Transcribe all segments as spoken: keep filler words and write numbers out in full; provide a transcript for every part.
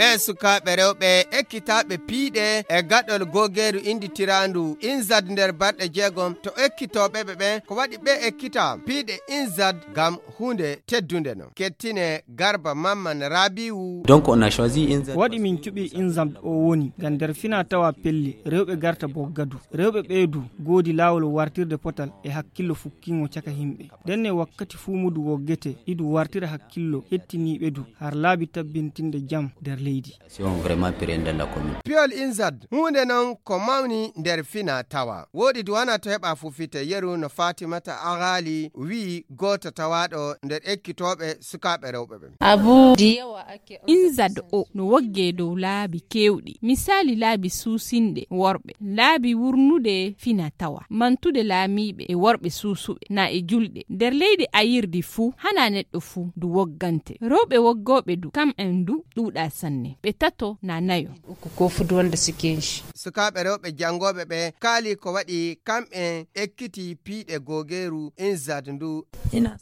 E sukaaɓe rewɓe ekkitaaɓe piiɗe e gaɗol googeeru innditiraandu INZAD nder balɗe jeegom, to ekkitooɓe ɓe ɓen, ko waɗi ɓe ekkitaa piiɗe INZAD ngam huunde teddunde non? Kettine Garba Mamman Rabiu. Donc, on a choisi INZAD. Waɗi min cuɓi INZAD o woni ngam nder fina tawa pelli, rewɓe garta boggadu. Rewɓe ɓee du goodi laawol wartirde potal e hakkillo fukkingo caka himɓe. Ndenne wakkati fuu mudu woggete, idu wartira hakkillo hettiniiɓe du, har laabi tabbintinde jam nder leydi. Si on vraiment pire dans la commune. Piyol INZAD, huunde non ko mawni nder fina tawa. Woodi du wana to heɓa fufite yeru no Fatimata Agali wi'i gooto tawaaɗo nder ekkitooɓe sukaaɓe rewɓe ɓen. Abu diyawa ake. INZAD o no wogge dow laabi keewɗi. Misaali laabi suusinɗe worɓe, laabi wurnude fina tawa, mantude laamiiɓe e worɓe suusuɓe, na e julɗe. Nder leydi ayirdi fuu, hana neɗɗo fuu du woggante. Rewɓe woggooɓe du, kam en du ɗuuɗa sanne. Ɓe tato na nayo. Uku ko fu du wonde si kenshi. Sukaaɓe rewɓe janngooɓe ɓe kaali ko waɗi kam en ekkitii piiɗe googeeru INZAD ndu.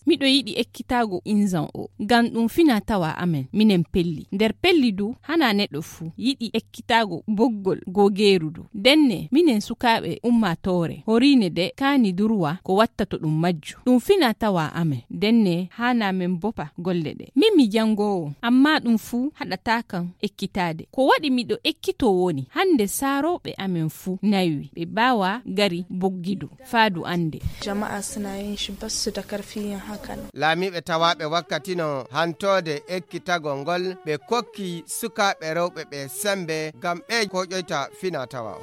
Miɗo yiɗi ekkitaago INZAD o, ngam ɗum fina tawa amen, minen pelli. Nder pelli du, hana neɗɗo fuu yiɗi ekkitaago boggol googeeru du. Ndenne, minen sukaaɓe ummaatoore, horiine de kaani durwa ko wattato ɗum majju. Ɗum fina tawa amen, ndenne hana men bopa golle ɗe. Min mi janngoowo, amma ɗum fuu haɗataa kam ekkitaade. Ko waɗi miɗo ekkitoo woni, hannde saarooɓe amen fuu naywi, ɓe baawa gari boggidu, faa du annde. Jama'a suna yin shi basu da karfi yin haka nan. Laamiiɓe tawaaɓe wakkati no hantoode ekkitagol ngol, ɓe kokki sukaaɓe rewɓe ɓe sembe ngam ɓe koƴoyta fina tawa o.